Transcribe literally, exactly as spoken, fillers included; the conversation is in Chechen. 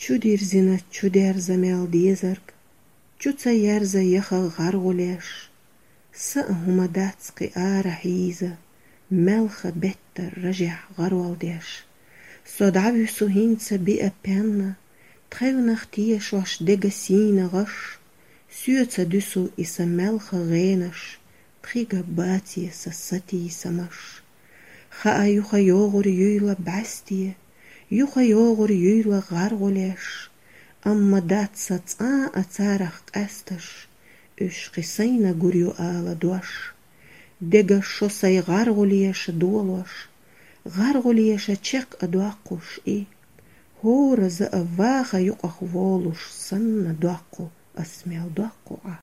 Чудирзина чудерза мел дезарг, чу ца ерза яха гӀаргӀулеш. Са а хӀума дац кхы ара хьийза, мелха бетта ражехь гӀаролдеш. Со дӀавуьсу хӀинца биа пенна, тхевнах тешош дега сийна гӀаш. Соьца дуьсу и са мелха гӀенаш, тхига баций са сатийсамаш. Хаа юха йогӀур юйла бӀаьсте, юха йогӀур юйла гӀаргӀулеш, амма дац са цӀа а царах къаьсташ, уьш кхы сайна гур ю ала дош. Дега шо сай гӀаргӀулеша долош, гӀаргӀулеша чекх а доккхуш и. ХӀора за а ваха юкъах волуш санна доккху, ас мел доккху Ӏа.